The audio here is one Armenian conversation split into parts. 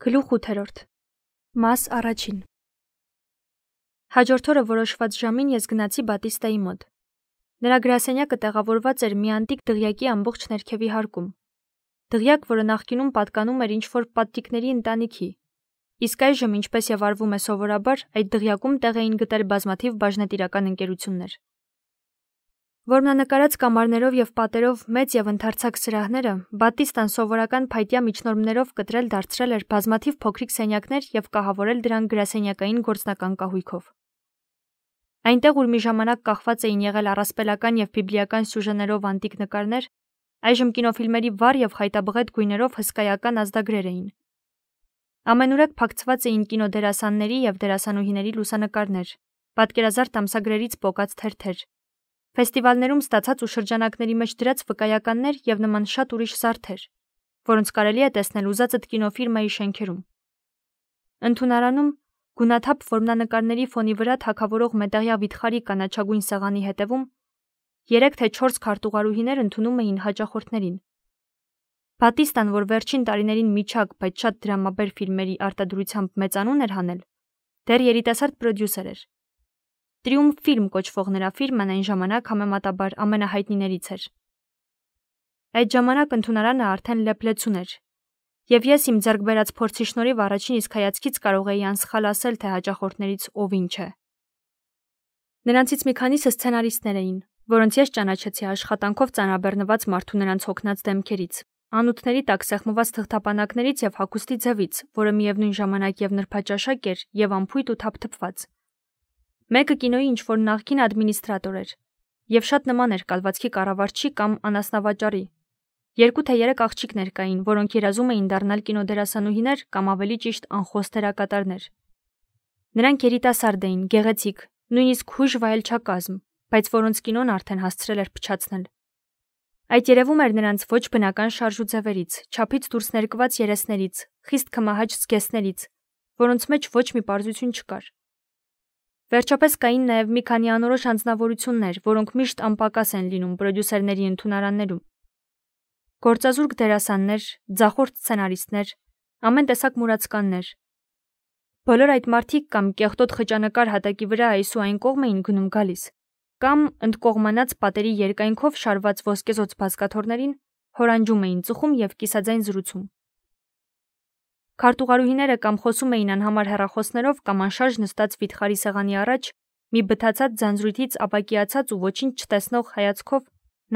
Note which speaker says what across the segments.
Speaker 1: Գլուխ 8. Մաս առաջին։ Հաջորդ օրը որոշված ժամին ես գնացի Բատիստայի մոտ։ Նրա գրասենյակը տեղավորված էր մի անտիկ դղյակի ամբողջ ներքևի հարկում։ Դղյակ, որը նախկինում պատկանում էր ինչ-որ պատրիկների ընտանիքի, իսկ այժմ, ինչպես եւ արվում է սովորաբար, այդ դղյակում տեղ էին գտել բազմաթիվ բաժնետիրական ընկերություններ։ Որմնանկարած կամարներով եւ պատերով մեծ եւ ընդարձակ սրահները Բատիստան սովորական փայտյա միջնորմներով կտրել դարձրել էր բազմաթիվ փոքրիկ սենյակներ եւ կահավորել դրանք գրասենյակային գործնական կահույքով։ Այնտեղ, ուր մի ժամանակ կախված էին եղել առասպելական եւ բիբլիական սյուժեներով անտիկ նկարներ, այժմ կինոֆիլմերի վառ եւ խայտաբղետ գույներով հսկայական ազդագրեր էին։ Ամենուրեք փակցված էին կինոդերասանների եւ դերասանուհիների լուսանկարներ, պատկերազարդ ամսագրերից պոկած թերթեր, ֆեստիվալներում ստացած ու շրջանակների մեջ դրած վկայականներ եւ նման շատ ուրիշ զարդեր, որոնց կարելի է տեսնել ուզածդ կինոֆիրմայի շենքերում։ Ընդունարանում գունաթափ որմնանկարների ֆոնի վրա թագավորող մետաղյա վիթխարի կանաչագույն սեղանի հետևում 3 թե 4 քարտուղարուհիներ ընդունում էին հաճախորդներին։ Բատիստան, որ վերջին տարիներին միջակ, բայց շատ դրամաբեր ֆիլմերի արտադրությամբ մեծանուն էր հանել, դեռ երիտասարդ պրոդյուսեր էր։ Տրիումֆ ֆիլմ կոչվող նրա ֆիրմն այն ժամանակ համեմատաբար ամենահայտնիներից էր։ Այդ ժամանակ ընդունարանը արդեն լեփլեցուն էր, եւ ես իմ ձեռք բերած փորձի շնորհիվ առաջին իսկ հայացքից կարող էի անսխալ ասել, թե հաճախորդներից ով ինչ է։ Նրանցից մի քանիսը սցենարիստներ էին, որոնց ես ճանաչեցի աշխատանքով ծանրաբեռնված մարդու նրանց հոգնած դեմքերից, անոթների տակ սեղմված թղթապանակներից եւ հագուստի ձևից, որը միևնույն ժամանակ եւ նրբաճաշակ էր եւ անփույթ ու թափթփված։ Մեկը կինոյի ինչ-որ նախկին ադմինիստրատոր էր եւ շատ նման էր կալվածքի կառավարչի կամ անասնավաճառի։ 2 թե 3 աղջիկներ կային, որոնք երազում էին դառնալ կինոդերասանուհիներ կամ ավելի ճիշտ անխոս դերակատարներ։ Նրանք երիտասարդ էին, գեղեցիկ, նույնիսկ հույժ վայելչակազմ, բայց որոնց կինոն արդեն հասցրել էր փչացնել։ Այդ երևում էր նրանց ոչ բնական շարժ ու ձևերից, չափից դուրս ներկված երեսներից, խիստ քմահաճ զգեստներից, որոնց մեջ ոչ մի պարզություն չկար։ Վերջապես կային նաև մի քանի անորոշ անձնավորություններ, որոնք միշտ անպակաս են լինում պրոդյուսերների ընդունարաններում։ Գործազուրկ դերասաններ, ձախորդ սցենարիստներ, ամեն տեսակ մուրացկաններ։ Բոլոր այդ մարդիկ կամ կեղտոտ խճանկար հատակի վրա այս ու այն կողմ էին գնում գալիս, կամ ընդկողմանած պատերի երկայնքով շարված ոսկեզոծ բազկաթոռներին հորանջում էին ծխում եւ կիսաձայն զրուցում։ Քարտուղարուհիները կամ խոսում էին անհամար հեռախոսներով կամ անշարժ նստած վիթխարի սեղանի առաջ մի բթացած ձանձրույթից ապակիացած ու ոչինչ չտեսնող հայացքով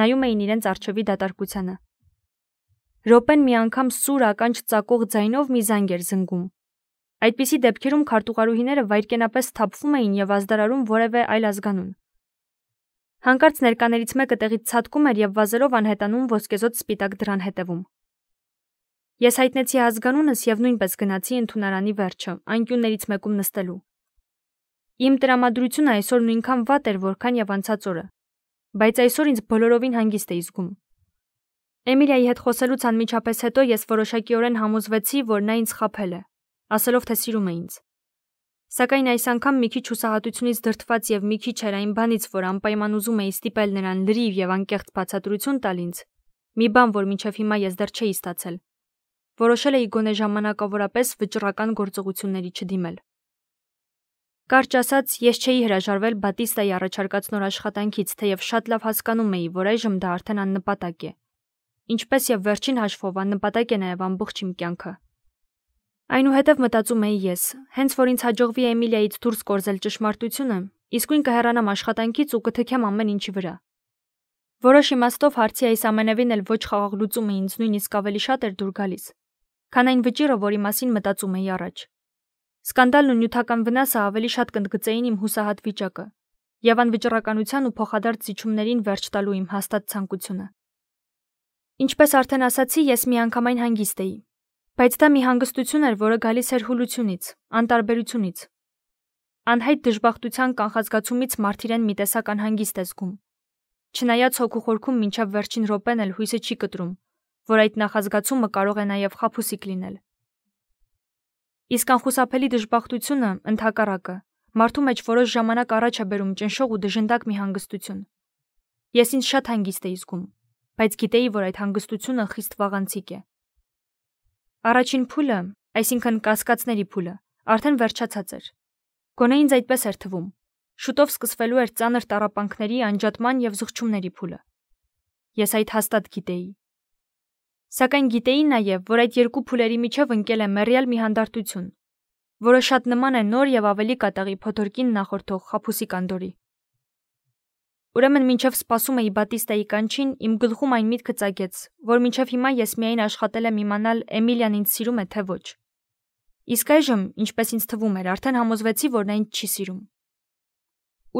Speaker 1: նայում էին իրենց առջևի դատարկությանը։ Րոպեն մի անգամ սուր ականջ ծակող ձայնով մի զանգ էր զնգում։ Այդպիսի դեպքերում քարտուղարուհիները վայրկենապես թափվում էին եւ ազդարարում որևէ այլ ազգանուն։ Հանկարծ ներկաներից մեկը տեղից ցատկում էր եւ վազելով անհետանում ոսկեզոծ սպիտակ դռան հետևում։ Ես հայտնեցի ազգանունս եւ նույնպես գնացի ընդունարանի վերջը, անկյուններից մեկում նստելու։ Իմ տրամադրությունը այսօր նույնքան վատ էր, որքան եւ անցած օրը, բայց այսօր ինձ բոլորովին հանգիստ էի զգում։ Էմիլիայի հետ խոսելուց անմիջապես հետո ես որոշակիորեն համոզվեցի, որ նա ինձ խաբել է, ասելով, թե սիրում է ինձ։ Սակայն այս անգամ մի քիչ հուսահատությունից դրդված եւ մի քիչ էր այն բանից, որ անպայման ուզում էի ստիպել նրան լրիվ եւ անկեղծ բացատրություն տալ ինձ, մի բան, որ մինչեւ հիմա ես դեռ չէի ստացել։ Որոշել էի գոնե ժամանակավորապես վճռական գործողությունների չդիմել։ Կարճ ասած, ես չէի հրաժարվել Բատիստայի առաջարկած նոր աշխատանքից, թեև շատ լավ հասկանում էի, որ այժմ դա արդեն աննպատակ է։ Ինչպես եւ վերջին հաշվով աննպատակ է նաեւ ամբողջ իմ կյանքը։ Այնուհետև մտածում էի ես, հենց որ ինձ հաջողվի Էմիլիայից դուրս կորզել ճշմարտությունը, իսկույն կհեռանամ աշխատանքից ու կթքեմ ամեն ինչի վրա։ Որոշ իմաստով հարցի այս ամենևին էլ ոչ խաղաղ լուծումը ինձ նույնիսկ ավելի շատ էր դուր գալիս, քան այն վճիռը, որի մասին մտածում էի առաջ։ Սկանդալն ու նյութական վնասը ավելի շատ կընդգծեին իմ հուսահատ վիճակը եւ անվճռականության ու փոխադարձ զիջումներին վերջ տալու իմ հաստատ ցանկությունը։ Ինչպես արդեն ասացի, ես միանգամայն հանգիստ էի, բայց դա մի հանգստություն էր, որը գալիս էր հուլությունից, անտարբերությունից։ Անհայտ դժբախտության կանխազգացումից մարդ իրեն մի տեսակ անհանգիստ է զգում։ Չնայած հոգու խորքում մինչև վերջին րոպեն էլ հույսը չի կտրում, որ այդ նախազգացումը կարող է նաև խաբուսիկ լինել։ Իսկ անխուսափելի դժբախտությունը, ընդհակառակը, մարդու մեջ որոշ ժամանակ առաջ է բերում ճնշող ու դժնդակ մի հանգստություն։ Ես ինձ շատ հանգիստ էի զգում, բայց գիտեի, որ այդ հանգստությունը խիստ վաղանցիկ է։ Առաջին փուլը, այսինքն կասկածների փուլը, արդեն վերջացած էր։ Գոնե ինձ այդպես էր թվում։ Շուտով սկսվելու էր ծանր տառապանքների, անջատման եւ զղջումների փուլը։ Ես այդ հաստատ գիտեի։ Սակայն գիտեի նաև, որ այդ երկու փուլերի միջև ընկել է մեռյալ մի հանդարտություն, որը շատ նման է նոր եւ ավելի կատաղի փոթորկին նախորդող խաբուսի կանդորի։ Ուրեմն մինչև սպասում էի Բատիստայի կանչին, իմ գլխում այն միտքը ծագեց, որ մինչև հիմա ես միայն աշխատել եմ իմանալ Էմիլիան ինձ սիրում է թե ոչ։ Իսկ այժմ, ինչպես ինձ թվում էր, արդեն համոզվեցի, որ նա ինձ չի սիրում։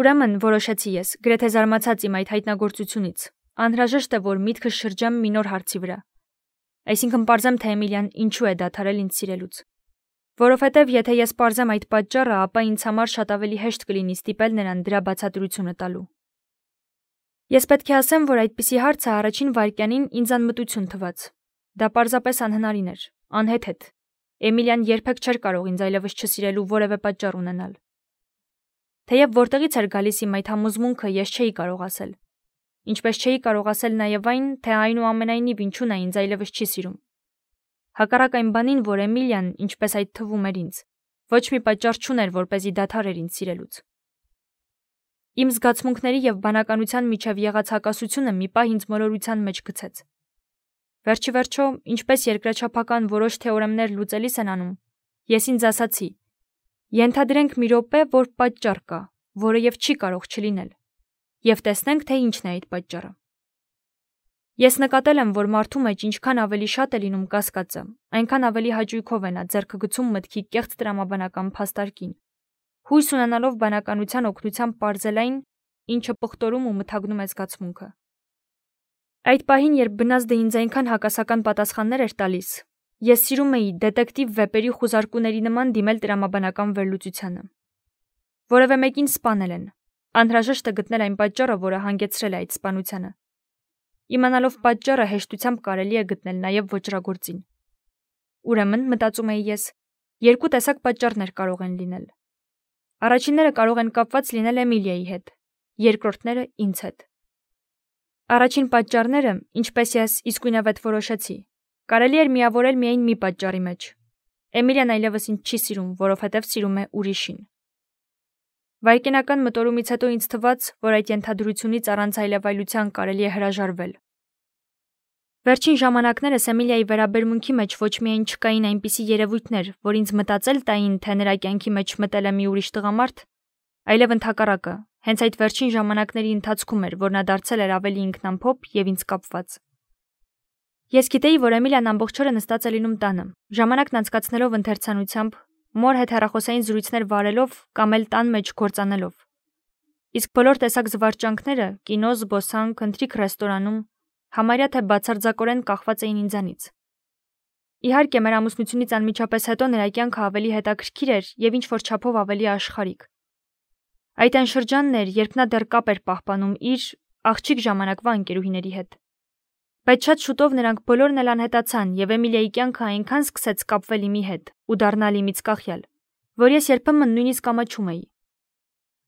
Speaker 1: Ուրեմն որոշեցի ես, գրեթե զարմացած իմ այդ հայտնագործությունից, անհրաժեշտ է, որ միտքս շրջեմ մի նոր հարցի վրա։ Այսինքն պարզեմ, թե Էմիլիան ինչու է դադարել ինձ սիրելուց։ Որովհետև եթե ես պարզեմ այդ պատճառը, ապա ինձ համար շատ ավելի հեշտ կլինի ստիպել նրան դրա բացատրությունը տալու։ Ես պետք է ասեմ, որ այդպիսի հարցը առաջին վայրկյանին ինձ անմտություն թվաց։ Դա պարզապես անհնարին էր, անհեթեթ։ Էմիլիան երբեք չէր կարող ինձ այլևս չսիրելու որևէ պատճառ ունենալ։ Թեև որտեղից էր գալիս իմ այդ համոզմունքը, ես չէի կարող ասել։ Ինչպես չէի կարող ասել նաև այն, թե այնուամենայնիվ ինչու նա ինձ այլևս չի սիրում։ Հակառակ այն բանին, որ Էմիլիան, ինչպես այդ թվում էր ինձ, ոչ մի պատճառ չուներ, որպեսզի դադարեր ինձ սիրելուց։ Իմ զգացմունքների եւ բանականության միջև եղած հակասությունը մի պահ ինձ մոլորության մեջ գցեց։ Վերջիվերջո, ինչպես երկրաչափական որոշ թեորեմներ լուծելիս են անում, ես ինձ ասացի. ենթադրենք մի րոպե, որ պատճառ կա, որը եւ չի կարող չլինել, եւ տեսնենք, թե ինչն է այդ պատճառը։ Ես նկատել եմ, որ մարդու մեջ ինչքան ավելի շատ է լինում կասկածը, այնքան ավելի հաճույքով է նա ձեռքը գցում մտքի կեղծ տրամաբանական փաստարկին, հույս ունենալով բանականության օգնությամբ պարզել այն, ինչը պղտորում ու մթագնում է զգացմունքը։ Այդ պահին, երբ բնազդը ինձ այնքան հակասական պատասխաններ էր տալիս, ես սիրում էի դետեկտիվ վեպերի խուզարկուների նման դիմել տրամաբանական վերլուծությանը։ Որևէ մեկին սպանել են, անհրաժեշտ է գտնել այն պատճառը, որը հանգեցրել է այդ սպանությանը։ Իմանալով պատճառը հեշտությամբ կարելի է գտնել նաև ոճրագործին։ Ուրեմն, մտածում էի ես, երկու տեսակ պատճառներ կարող են լինել։ Առաջինները կարող են կապված լինել Էմիլիայի հետ, երկրորդները ինձ հետ։ Առաջին պատճառները, ինչպես ես իսկույնավետ որոշեցի, կարելի էր միավորել միայն մի պատճառի մեջ։ Էմիլիան այլևս ինձ չի սիրում, որովհետև սիրում է ուրիշին։ Վայրկենական մտորումից հետո ինձ թվաց, որ այդ ենթադրությունից առանց այլևայլության կարելի է հրաժարվել։ Վերջին ժամանակներս Էմիլիայի վերաբերմունքի մեջ ոչ միայն չկային այնպիսի երևույթներ, որ ինձ մտածել տային, թե նրա կյանքի մեջ մտել է մի ուրիշ տղամարդ, այլև ընդհակառակը, հենց այդ վերջին ժամանակների ընթացքում էր, որ նա դարձել էր ավելի ինքնամփոփ եւ ինձ կապված։ Ես գիտեի, որ Էմիլիան ամբողջ օրը նստած է լինում տանը, ժամանակն անցկացնելով ընթերցանությամբ, մոր հետ հեռախոսային զրույցներ վարելով կամ էլ տան մեջ գործանելով։ Իսկ բոլոր տեսակ զվարճանքները՝ կինո, զբոսանք, ընթրիք ռեստորանում, համարյա թե բացարձակորեն կախված էին ինձանից։ Իհարկե, մեր ամուսնությունից անմիջապես հետո նրա կյանքը ավելի հետաքրքիր էր եւ ինչ-որ չափով ավելի աշխարհիկ։ Այդ այն շրջանն էր, երբ նա դեռ կապ էր պահպանում իր աղջիկ ժամանակվա ընկերուհիների հետ։ Բայց շատ շուտով նրանք բոլորն էլ անհետացան եւ Էմիլիայի կյանքը այնքան սկսեց կապվել իմի հետ ու դառնալ իմից կախյալ, որ ես երբեմն նույնիսկ ամաչում էի։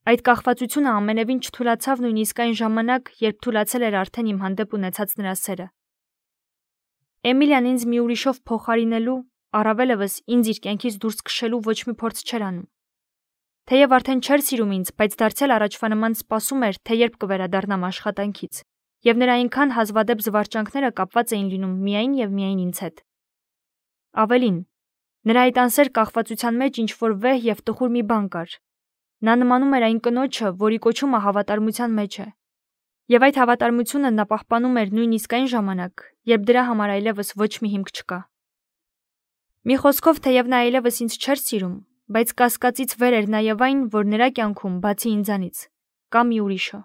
Speaker 1: Այդ կախվածությունը ամենևին չթուլացավ նույնիսկ այն ժամանակ, երբ թուլացել էր արդեն իմ հանդեպ ունեցած նրա սերը։ Էմիլիան ինձ մի ուրիշով փոխարինելու, առավելևս ինձ իր կյանքից դուրս քշելու ոչ մի փորձ չէր անում։ Թեև արդեն չէր սիրում ինձ, բայց դարձյալ առաջվա նման սպասում էր, թե երբ կվերադառնամ աշխատանքից, եւ նրա այնքան հազվադեպ զվարճանքները կապված էին լինում միայն եւ միայն ինձ հետ։ Ավելին, նրա այդ անսեր կախվածության մեջ ինչ-որ վեհ եւ տխուր մի բան կար։ Նա նմանում էր այն կնոջը, որի կոչումը հավատարմության մեջ է։ Եվ այդ հավատարմությունը նա պահպանում էր նույնիսկ այն ժամանակ, երբ դրա համար այլևս ոչ մի հիմք չկա։ Մի խոսքով, թեև նա այլևս ինձ չէր սիրում, բայց կասկածից վեր էր նաև այն, որ նրա կյանքում, բացի ինձանից, կա մի ուրիշը։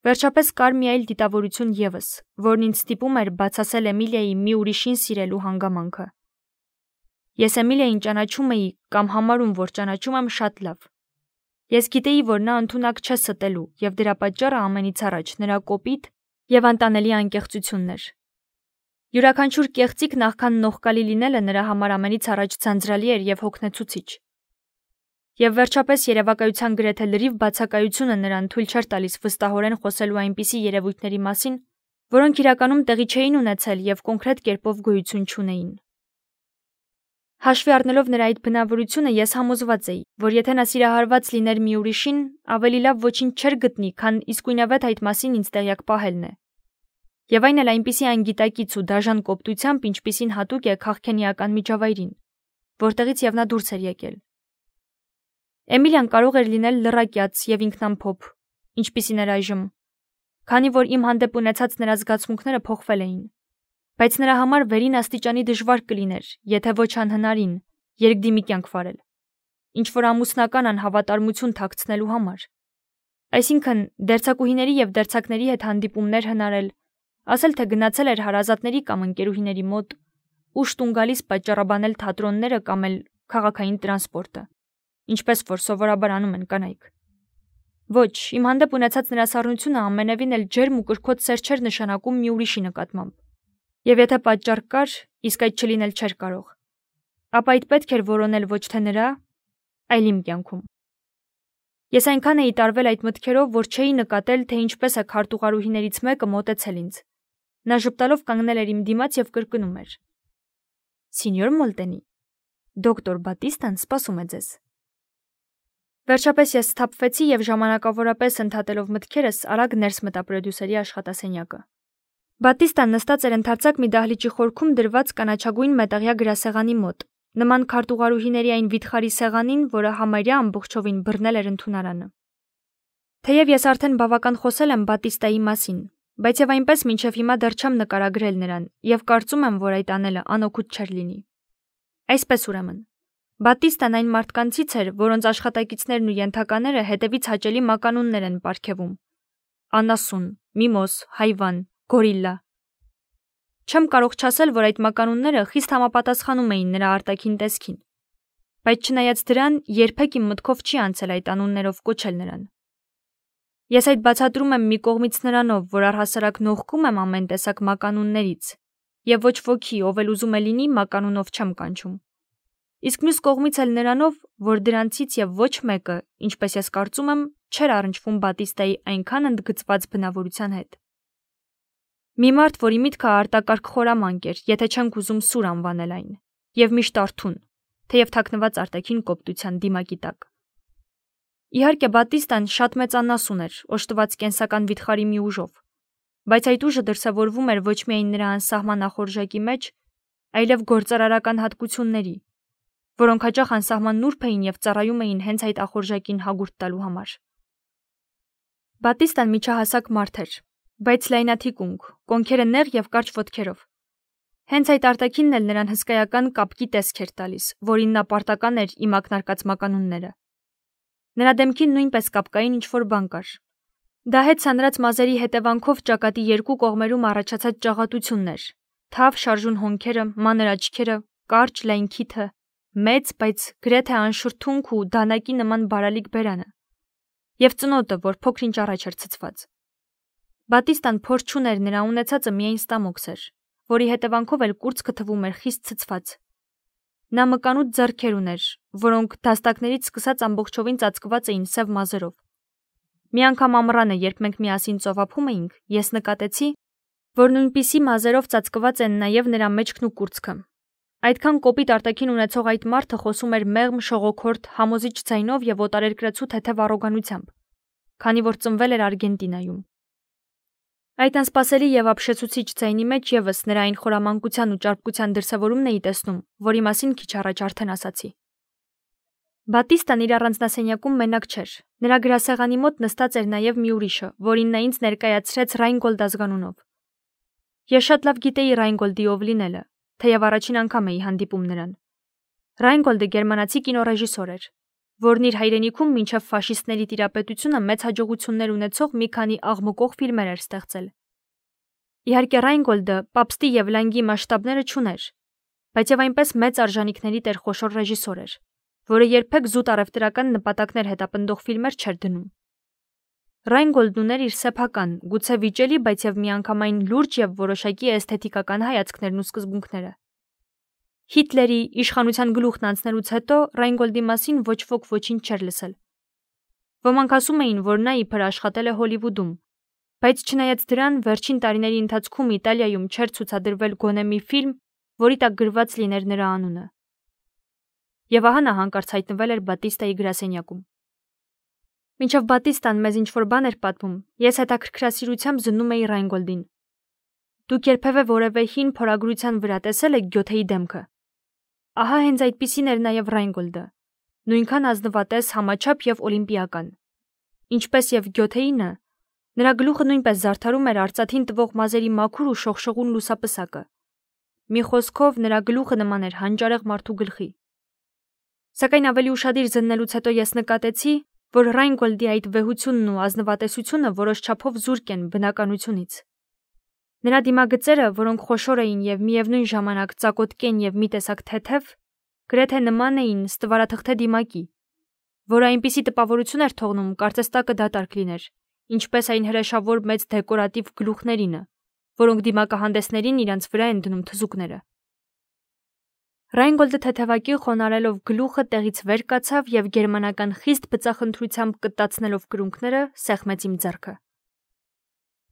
Speaker 1: Վերջապես կար մի այլ դիտավորություն եւս, որն ինձ ստիպում էր բացասել Էմիլիայի մի ուրիշին սիրելու հանգամանքը։ Ես Էմիլիային ճանաչում էի կամ համարում, որ ճանաչում եմ շատ լավ։ Ես գիտեի, որ նա ընդունակ չէ ստելու, եւ դրա պատճառը ամենից առաջ նրա կոպիտ եւ անտանելի անկեղծությունն էր։ Յուրաքանչյուր կեղծիք նախքան նողկալի լինելը նրա համար ամենից առաջ ցանցրալի էր եւ հոգնեցուցիչ։ Եվ վերջապես երևակայության գրեթե լրիվ բացակայությունը նրան թույլ չէր տալիս վստահորեն խոսելու այնպիսի երևույթների մասին, որոնք իրականում տեղի չէին ունեցել եւ կոնկրետ կերպով գոյություն չունեին։ Հաշվի առնելով նրա այդ բնավորությունը, ես համոզված էի, որ եթե նա սիրահարված լիներ մի ուրիշին, ավելի լավ ոչինչ չէր գտնի, քան իսկույնավետ այդ մասին ինձ տեղյակ պահելն է։ Եվ այն էլ այնպիսի անգիտակից ու դաժան կոպտությամբ, ինչպիսին հատուկ է քաղքենիական միջավայրին, որտեղից եւ նա դուրս էր եկել։ Էմիլիան կարող էր լինել լռակյաց եւ ինքնամփոփ, ինչպիսին էր այժմ, քանի որ իմ հանդեպ ունեցած նրա զգացմունքները փոխվել էին, բայց նրա համար վերին աստիճանի դժվար կլիներ, եթե ոչ անհնարին, երկդիմի կյանք վարել, ինչ որ ամուսնական անհավատարմություն թաքցնելու համար։ Այսինքն, դերձակուհիների եւ դերձակների հետ հանդիպումներ հնարել, ասել թե գնացել էր հարազատների կամ ընկերուհիների մոտ, ուշ տուն գալիս պատճառաբանել թատրոնները կամ էլ քաղաքային տրանսպորտը, ինչպես որ սովորաբար անում են կանայք։ Ոչ, իմ հանդեպ ունեցած նրա սառնությունը ամենևին էլ ջերմ ու կրքոտ սեր չէր նշանակում մի ուրիշի նկատմամբ։ Եվ եթե պատճառ կար, իսկ այդ չլինել չէր կարող, ապա այդ պետք էր որոնել ոչ թե նրա, այլ իմ կյանքում։ Ես այնքան էի տարվել այդ մտքերով, որ չէի նկատել, թե ինչպես է քարտուղարուհիներից մեկը մոտեցել ինձ։ Նա ժպտալով կանգնել էր իմ դիմաց եւ կրկնում էր. «Սինյոր Մոլտենի, դոկտոր Բատիստան սպասում է ձեզ»։ Վերջապես ես սթափվեցի եւ ժամանակավորապես ընդհատելով մտքերս արագ ներս մտա պրոդյուսերի աշխատասենյակը։ Բատիստան նստած էր ընդարձակ մի դահլիճի խորքում դրված կանաչագույն մետաղյա գրասեղանի մոտ, նման քարտուղարուհիների այն վիթխարի սեղանին, որը համարյա ամբողջովին բռնել էր ընդունարանը։ Թեև ես արդեն բավական խոսել եմ Բատիստայի մասին, բայց եւ այնպես մինչեւ հիմա դեռ չեմ նկարագրել նրան եւ կարծում եմ, որ այդ անելը անօգուտ չէր լինի։ Այսպես ուրեմն, Բատիստան այն մարդկանցից էր, որոնց աշխատակիցներն ու ենթակաները հետևից հաճելի մականուններ են պարգևում. անասուն, միմոզ, հայվան, գորիլլա։ Չեմ կարող չասել, որ այդ մականունները խիստ համապատասխանում էին նրա արտաքին տեսքին, բայց չնայած դրան երբեք իմ մտքով չի անցել այդ անուններով կոչել նրան։ Ես այդ բացատրում եմ մի կողմից նրանով, որ առհասարակ նողկում եմ ամեն տեսակ մականուններից, եւ ոչ ոքի, ով էլ ուզում է լինի, մականունով չեմ կանչում։ Իսկ մյուս կողմից էլ նրանով, որ դրանցից եւ ոչ մեկը, ինչպես ես կարծում եմ, չէր առնչվում Բատիստայի այնքան ընդգծված բնավորության հետ։ Մի մարդ, որի միտքը արտակարգ խորամանկ էր, եթե չենք ուզում սուր անվանել այն, եւ միշտ արթուն, թեև թաքնված արտաքին կոպտության դիմակի տակ։ Իհարկե Բատիստան շատ մեծ անասուն էր, օժտված կենսական վիթխարի մի ուժով, բայց այդ ուժը դրսևորվում էր ոչ միայն նրա անսահման ախորժակի մեջ, այլև գործարարական հատկությունների, որոնք հաճախ անսահման նուրբ էին եւ ծառայում էին հենց այդ ախորժակին հագուրդ տալու համար։ Բատիստան միջահասակ մարդ էր, բայց լայնաթիկունք, կոնքերը նեղ եւ կարճ ոտքերով։ Հենց այդ արտաքինն էլ նրան հսկայական կապկի տեսք էր տալիս, որին նա պարտական էր իմ ակնարկած մականունները։ Նրա դեմքին նույնպես կապկային ինչ-որ բան կար։ Դա հետ սանրած մազերի հետևանքով ճակատի երկու կողմերում առաջացած ճաղատություններ, թավ շարժուն հոնքերը, մանր աչքերը, կարճ լայն քիթը, մեծ, բայց գրեթե անշրթունք ու դանակի նման բարալիկ բերանը, եւ ծնոտը, որ փոքր-ինչ առաջ էր ցցված։ Բատիստան փոր չուներ, նրա ունեցածը միայն ստամոքս էր, որի հետևանքով էլ կուրծքը թվում էր խիստ ցցված։ Նա մկանուտ ձեռքեր ուներ, որոնք դաստակներից սկսած ամբողջովին ծածկված էին սև մազերով։ Մի անգամ ամռանը, երբ մենք միասին ծովափում էինք, ես նկատեցի, որ նույնպիսի մազերով ծածկված են նաեւ նրա մեջքն ու կուրծքը։ Այդքան կոպիտ արտաքին ունեցող այդ մարդը խոսում էր մեղմ, շողոքորթ, համոզիչ ձայնով եւ օտարերկրացու թեթև առոգանությամբ, քանի որ ծնվել էր Արգենտինայում։ Այդ անսպասելի եւ ապշեցուցիչ ձայնի մեջ եւս նրա այն խորամանկության ու ճարպկության դրսևորումն էի տեսնում, որի մասին քիչ առաջ արդեն ասացի։ Բատիստան իր առանձնասենյակում մենակ չէր։ Նրա գրասեղանի մոտ նստած էր նաեւ մի ուրիշը, որին նա ինձ ներկայացրեց Ռայնգոլդ ազգանունով։ Ես շատ լավ գիտեի Ռայնգոլդի ով լինելը, թեև առաջին անգամ էի հանդիպում նրան։ Ռայնգոլդը գերմանացի կինոռեժիսոր էր, որն իր հայրենիքում մինչև ֆաշիստների տիրապետությունը մեծ հաջողություններ ունեցող մի քանի աղմկող ֆիլմեր էր ստեղծել։ Իհարկե Ռայնգոլդը պապստի եւ լանգի մասշտաբները չուներ, բայց եւ այնպես մեծ արժանինքների տեր խոշոր ռեժիսոր էր, որը երբեք զուտ առևտրական նպատակներ հետապնդող ֆիլմեր չէր դնում։ Ռայնգոլդն ուներ իր սեփական, գուցե վիճելի, բայց եւ միանգամայն լուրջ եւ որոշակի էսթետիկական հայացքներն ու սկզբունքները։ Հիտլերի իշխանության գլուխն անցնելուց հետո Ռայնգոլդի մասին ոչ ոք ոչինչ չէր լսել։ Ոմանք ասում էին, որ նա իբր աշխատել է Հոլիվուդում, բայց չնայած դրան վերջին տարիների ընթացքում Իտալիայում չէր ցուցադրվել գոնե մի ֆիլմ, որի տակ գրված լիներ նրա անունը։ եւ ահա նա հանկարծ հայտնվել էր Բատիստայի գրասենյակում։ Մինչև Բատիստան մեզ ինչ-որ բան էր պատմում, ես հետաքրքրասիրությամբ զննում էի Ռայնգոլդին։ Դուք երբևէ որևէ հին փորագրության վրա տեսել եք Գյոթեի դեմքը։ Ահա հենց այդպիսին էր նաև Ռայնգոլդը, նույնքան ազնվատես, համաչափ եւ օլիմպիական։ Ինչպես եւ Գյոթեինը, նրա գլուխը նույնպես զարդարում էր արծաթին տվող մազերի մաքուր ու շողշողուն լուսապսակը։ Մի խոսքով նրա գլուխը նման էր հանճարեղ մարդու գլխի։ Սակայն ավելի ուշադիր զննելուց հետո ես նկատեցի, որ Ռայնգոլդի այդ վեհությունն ու ազնվատեսությունը որոշ չափով զուրկ են բնականությունից։ Նրա դիմագծերը, որոնք խոշոր էին եւ միևնույն ժամանակ ծակոտկեն եւ մի տեսակ թեթև, գրեթե նման էին ստվարաթղթե դիմակի, որը այնպիսի տպավորություն էր թողնում, կարծես տակը դատարկ լիներ, ինչպես այն հրեշավոր մեծ դեկորատիվ գլուխներինը, որոնք դիմակահանդեսներին իրենց վրա են դնում թզուկները։ Ռայնգոլդը թեթևակի խոնարելով գլուխը տեղից վեր կացավ եւ գերմանական խիստ բծախնդրությամբ կտացնելով կրունկները սեղմեց իմ ձեռքը։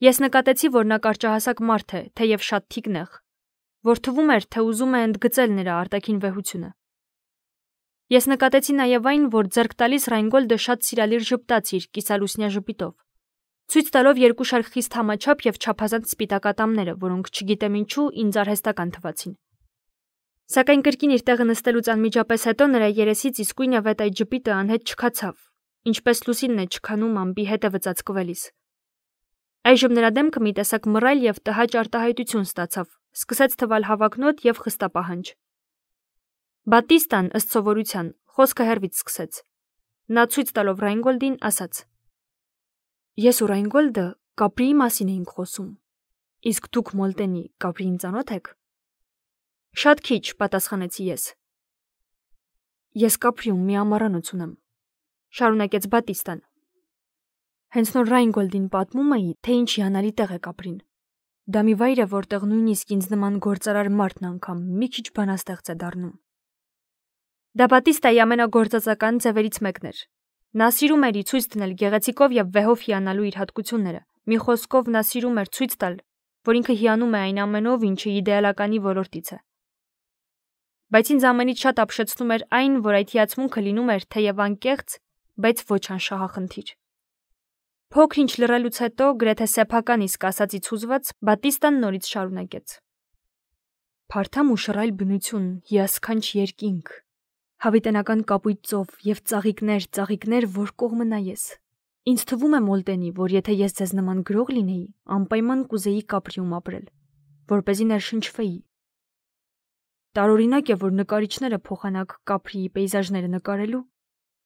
Speaker 1: Ես նկատեցի, որ նա կարճահասակ մարդ է, թեև շատ թիկնեղ, որ թվում էր, թե ուզում է ընդգծել նրա արտաքին վեհությունը։ Ես նկատեցի նաև այն, որ ձեռք տալիս Ռայնգոլդը շատ սիրալիր ժպտաց իր կիսալուսնյա ժպիտով, ցույց տալով երկու շարք խիստ համաչափ եւ չափազանց սպիտակ ատամները, որոնք չգիտեմ ինչու ինձ արհեստական թվացին։ Սակայն կրկին իր տեղը նստելուց անմիջապես հետո նրա երեսից իսկույնավետ այդ ժպիտը անհետ չքացավ, ինչպես լուսինն է չքանում ամպի հետևը ծածկվելիս։ Այժմ նրա դեմքը մի տեսակ մռայլ եւ տհաճ արտահայտություն ստացավ, սկսեց թվալ հավակնոտ եւ խստապահանջ։ Բատիստան, ըստ սովորության, խոսքը հեռվից սկսեց։ Նա ցույց տալով Ռայնգոլդին ասաց. Ես ու Ռայնգոլդը Կապրիի մասին էինք խոսում։ Իսկ դուք Մոլտենի Կապրիին ծանոթ եք։ Շատ քիչ, պատասխանեցի ես։ Ես Կապրիում մի ամառանոց ունեմ, շարունակեց Բատիստան։ Հենց նոր Ռայնգոլդին պատմում էի, թե ինչ հիանալի տեղ է Կապրին։ Դա մի վայր է, որտեղ նույնիսկ ինձ նման գործարար մարդն անգամ մի քիչ բանաստեղծ է դառնում։ Դա Բատիստայի ամենագործածական ձևերից մեկն էր։ Նա սիրում էր ցույց դնել գեղեցիկով եւ վեհով հիանալու իր հատկությունները։ Մի խոսքով նա սիրում էր ցույց տալ, որ ինքը հիանում է այն ամենով, ինչը իդեալականի ոլորտից է։ Բայց ինձ ամենից շատ ապշեցնում էր այն, որ այդ հիացմունքը լինում էր թեև անկեղծ, բայց ոչ անշահախնդիր։ Փոքր-ինչ լռելուց հետո, գրեթե սեփական իսկ ասածից հուզված, Բատիստան նորից շարունակեց. Փարթամ ու շռայլ բնություն, հիասքանչ երկինք, հավիտենական կապույտ ծով եւ ծաղիկներ, որ կողմը նայես։ Ինձ թվում է Մոլտենի, որ եթե ես ձեզ նման գրող լինեի, անպայման կուզեի Կապրիում ապրել, որպեսզի ներշնչվեի։ Տարօրինակ է, որ նկարիչները փոխանակ Կապրիի պեյզաժները նկարելու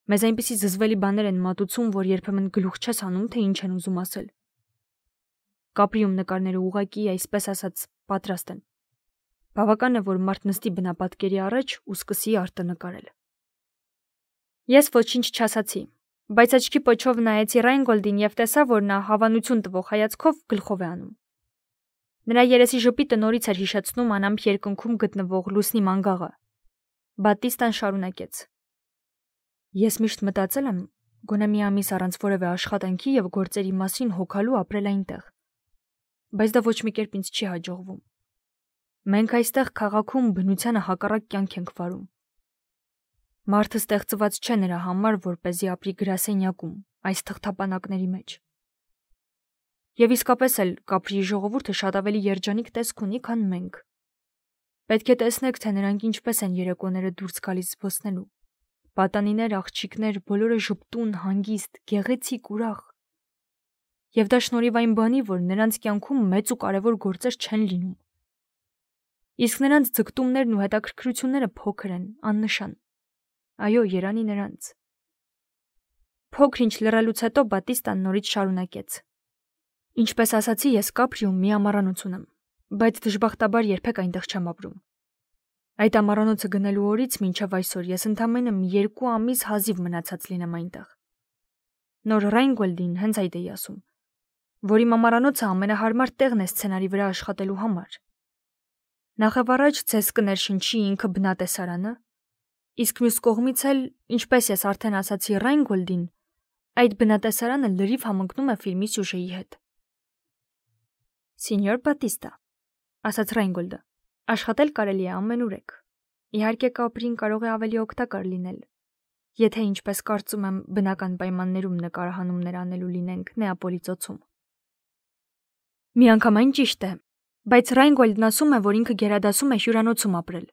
Speaker 1: մեզ այնպիսի զզվելի բաներ են մատուցում, որ երբեմն գլուխ չես հանում, թե ինչ են ուզում ասել։ Կապրիում նկարները ուղղակի, այսպես ասած, պատրաստ են։ Բավական է, որ մարդ նստի բնապատկերի առաջ ու սկսի արտը նկարել։ Ես ոչինչ չասացի, բայց աչքի պոչով նայեցի Ռայնգոլդին եւ տեսա, որ նա հավանություն տվող հայացքով գլխով է անում։ Նրա երեսի ժպիտը նորից էր հիշեցնում անամփ երկնքում գտնվող լուսնի մանգաղը։ Բատիստան շարունակեց. Ես միշտ մտածել եմ, գոնե մի ամիս առանց որևէ աշխատանքի եւ գործերի մասին հոգալու ապրել այնտեղ։ Բայց դա ոչ մի կերպ ինձ չի հաջողվում։ Մենք այստեղ քաղաքում բնությանը հակառակ կյանք ենք վարում։ Մարդը ստեղծված չէ նրա համար, որպեսզի ապրի գրասենյակում, այս թղթապանակների մեջ։ Եվ իսկապես էլ Կապրիի ժողովուրդը շատ ավելի երջանիկ տեսք ունի, քան մենք։ Պետք է տեսնեք, թե նրանք ինչպես են երեկոները դուրս գալիս զբոսնելու։ Պատանիներ, աղջիկներ, բոլորը ժպտուն, հանգիստ, գեղեցիկ, ուրախ։ Եվ դա շնորհիվ այն բանի, որ նրանց կյանքում մեծ ու կարևոր գործեր չեն լինում։ Իսկ նրանց ձգտումներն ու հետաքրքրությունները փոքր են, աննշան։ Այո, երանի նրանց։ Փոքր-ինչ լռելուց հետո Բատիստան նորից շարունակեց. Ինչպես ասացի, ես Կապրիում մի ամառանոց ունեմ, բայց դժբախտաբար երբեք այնտեղ չեմ ապրում։ Այդ ամառանոցը գնելու օրից մինչև այսօր ես ընդամենը 2 ամիս հազիվ մնացած լինեմ այնտեղ։ Նոր Ռայնգոլդին հենց այդ էի ասում, որ իմ ամառանոցը ամենահարմար տեղն է սցենարի վրա աշխատելու համար։ Նախևառաջ ձեզ կներշնչի ինքը բնատեսարանը, իսկ մյուս կողմից էլ, ինչպես ես արդեն ասացի Ռայնգոլդին, այդ բնատեսարանը լրիվ համընկնում է ֆիլմի սյուժեի հետ։ Սենյոր Բատիստա, ասաց Ռայնգոլդը, աշխատել կարելի է ամենուրեք։ Իհարկե կապրին կարող է ավելի օգտակար լինել, եթե ինչպես կարծում եմ բնական պայմաններում նկարահանումներ անելու լինենք Նեապոլի ծոցում։ Միանգամայն ճիշտ է, բայց Ռայնգոլդն ասում է, որ ինքը գերադասում է հյուրանոցում ապրել։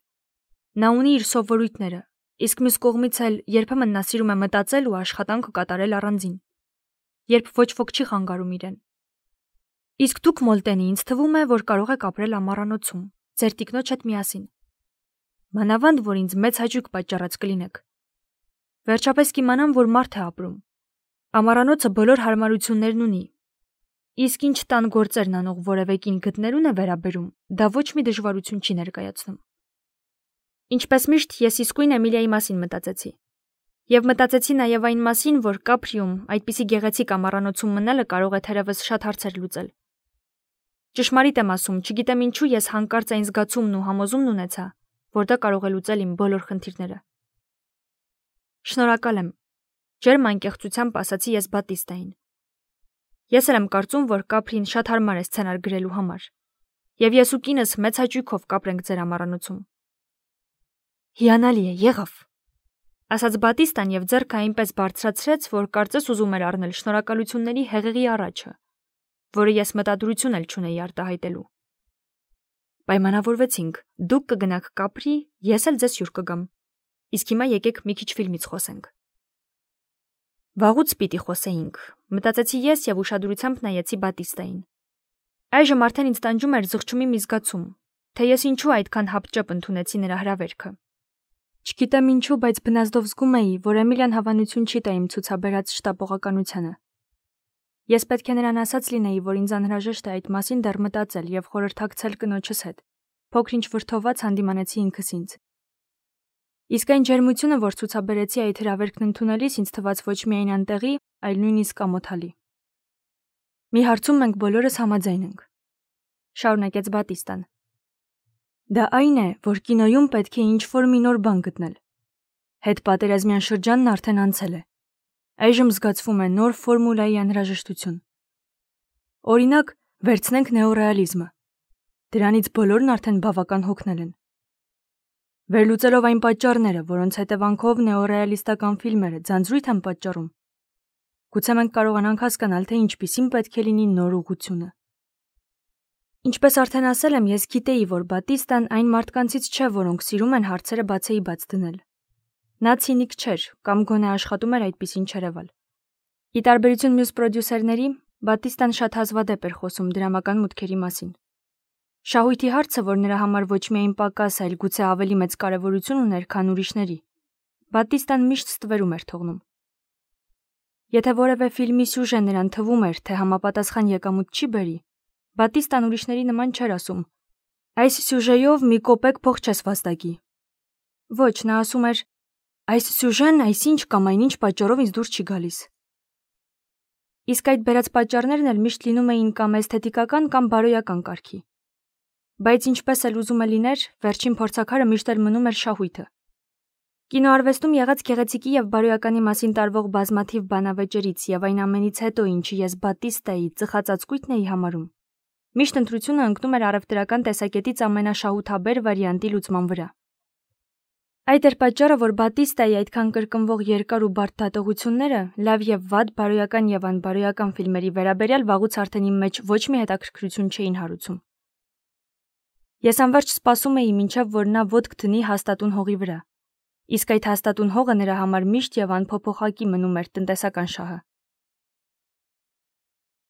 Speaker 1: Նա ունի իր սովորույթները, իսկ մյուս կողմից էլ երբեմն նա սիրում է մտածել ու աշխատանքը կատարել առանձին, երբ ոչ ոք չի խանգարում իրեն։ Իսկ դուք, Մոլտենի, ինձ թվում է, որ կարող եք ապրել ամառանոցում, ձեր տիկնոջ հետ միասին։ Մանավանդ, որ ինձ մեծ հաճույք պատճառած կլինեք։ Վերջապես կիմանամ, որ մարդ է ապրում։ Ամառանոցը բոլոր հարմարություններն ունի։ Իսկ ինչ տան գործերն անող որևէ կին գտնելուն է վերաբերում, դա ոչ մի դժվարություն չի ներկայացնում։ Ինչպես միշտ, ես իսկույն Էմիլիայի մասին մտածեցի։ Եվ մտածեցի նաև այն մասին, որ Կապրիում այդպիսի գեղեցիկ ամառանոցում մնալը կարող է թերևս շատ հարցեր լուծել։ Ճշմարիտ եմ ասում, չգիտեմ ինչու ես հանկարծ այն զգացումն ու համոզումն ունեցա, որ դա կարող է լուծել իմ բոլոր խնդիրները։ Շնորհակալ եմ, ջերմ անկեղծությամբ ասացի ես Բատիստային։ Ես էլ եմ կարծում, որ Կապրին շատ հարմար է սցենար գրելու համար, եւ ես ու կինս մեծ հաճույքով կապրենք ձեր ամառանոցում։ Հիանալի է, եղավ, ասաց Բատիստան եւ ձեռքը այնպես բարձրացրեց, որ կարծես ուզում էր առնել շնորհակալությունների հեղեղի առաջը, որը ես մտադրություն էլ չունեի արտահայտելու։ Պայմանավորվեցինք, դուք կգնաք Կապրի, ես էլ ձեզ հյուր կգամ։ Իսկ հիմա եկեք մի քիչ ֆիլմից խոսենք։ Վաղուց պիտի խոսեինք, մտածեցի ես եւ ուշադրությամբ նայեցի Բատիստային։ Այժմ արդեն ինձ տանջում էր զղջումի մի զգացում, թե ես ինչու այդքան հապճեպ ընդունեցի նրա հրավերքը։ Չգիտեմ ինչու, բայց բնազդով զգում էի, որ Էմիլիան հավանություն չի տա իմ ցուցաբերած շտապողականությանը։ Ես պետք է նրան ասած լինեի, որ ինձ անհրաժեշտ է այդ մասին դեռ մտածել եւ խորհրդակցել կնոջս հետ։ Փոքր-ինչ վրդոված հանդիմանեցի ինքս ինձ։ Իսկ այն ջերմությունը, որ ցուցաբերեցի այդ հրավերքն ընդունելիս, ինձ թվաց ոչ միայն անտեղի, այլ նույնիսկ ամոթալի։ Մի հարցում մենք բոլորս համաձայն ենք, շարունակեց Բատիստան։ Դա այն է, որ կինոյում պետք է ինչ-որ մի նոր բան գտնել։ Հետպատերազմյան շրջանն արդեն անցել է։ Այժմ զգացվում է նոր ֆորմուլայի անհրաժեշտություն։ Օրինակ, վերցնենք նեոռեալիզմը։ Դրանից բոլորն արդեն բավական հոգնել են։ Վերլուծելով այն պատճառները, որոնց հետևանքով նեոռեալիստական ֆիլմերը ձանձրույթ են պատճառում, գուցե մենք կարողանանք հասկանալ, թե ինչպիսին պետք է լինի նոր ուղղությունը։ Ինչպես արդեն ասել եմ, ես գիտեի, որ Բատիստան այն մարդկանցից չէ, որոնք սիրում են հարցերը բացեի բաց դնել։ Նա ցինիկ չէր, կամ գոնե աշխատում էր այդպիսին չերևալ։ Ի տարբերություն մյուս պրոդյուսերների, Բատիստան շատ հազվադեպ էր խոսում դրամական մուտքերի մասին։ Շահույթի հարցը, որ նրա համար ոչ միայն պակաս, այլ գուցե ավելի մեծ կարևորություն ուներ, քան ուրիշների, Բատիստան միշտ ստվերում էր թողնում։ Եթե որևէ ֆիլմի սյուժեն նրան թվում էր, թե համապատասխան եկամուտ չի բերի, Բատիստան ուրիշների նման չէր ասում. այս սյուժեով մի կոպեկ փող չես վաստակի։ Ոչ, նա ասում էր. այս սյուժեն այսինչ կամ այնինչ պատճառով ինձ դուր չի գալիս։ Իսկ այդ բերած պատճառներն էլ միշտ լինում էին կամ էսթետիկական կամ բարոյական կարգի։ Բայց ինչպես էլ ուզում է լիներ, վերջին փորձաքարը միշտ էլ մնում էր շահույթը։ Կինոարվեստում եղած գեղեցիկի եւ բարոյականի մասին տարվող բազմաթիվ բանավեճերից եւ այն ամենից հետո, ինչի ես Բատիստայի ծխածածկույթն էի համարում, միշտ ընտրությունը ընկնում էր առևտրական տեսակետից ամենաշահութաբեր վարիանտի լուծման վրա։ Այդ էր պատճառը, որ Բատիստայի այդքան կրկնվող երկար ու բարդ դատողությունները լավ եւ վատ բարոյական եւ անբարոյական ֆիլմերի վերաբերյալ վաղուց արդեն իմ մեջ ոչ մի հետաքրքրություն չէին հարուցում։ Ես անverջ սպասում էի, մինչև որ նա ոտք դնի հաստատուն հողի վրա, իսկ այդ հաստատուն հողը նրա համար միշտ եւ անփոփոխակի մնում էր տնտեսական շահը։